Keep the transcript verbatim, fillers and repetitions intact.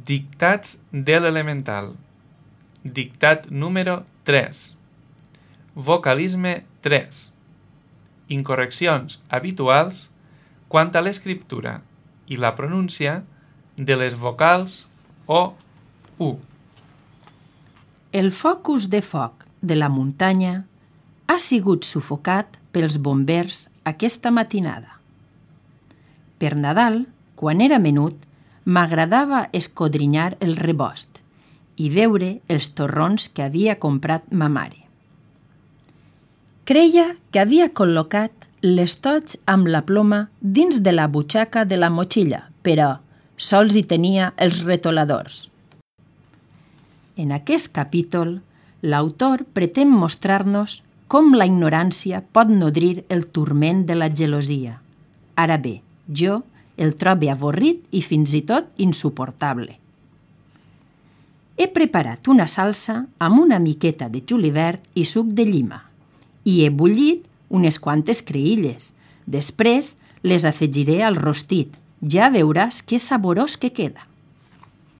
Dictats de l'elemental. Dictat número tres. Vocalisme tres. Incorreccions habituals quant a l'escriptura i la pronúncia de les vocals o u. El focus de foc de la muntanya ha sigut sufocat pels bombers aquesta matinada. Per Nadal, quan era menut, m'agradava escodrinyar el rebost i veure els torrons que havia comprat ma mare. Creia que havia col·locat l'estoig amb la ploma dins de la butxaca de la motxilla, però sols hi tenia els retoladors. En aquest capítol, l'autor pretén mostrar-nos com la ignorància pot nodrir el turment de la gelosia. Ara bé, jo el trobe avorrit i fins i tot insuportable. He preparat una salsa amb una miqueta de julivert i suc de llima i he bullit unes quantes creïlles. Després les afegiré al rostit. Ja veuràs que saborós que queda.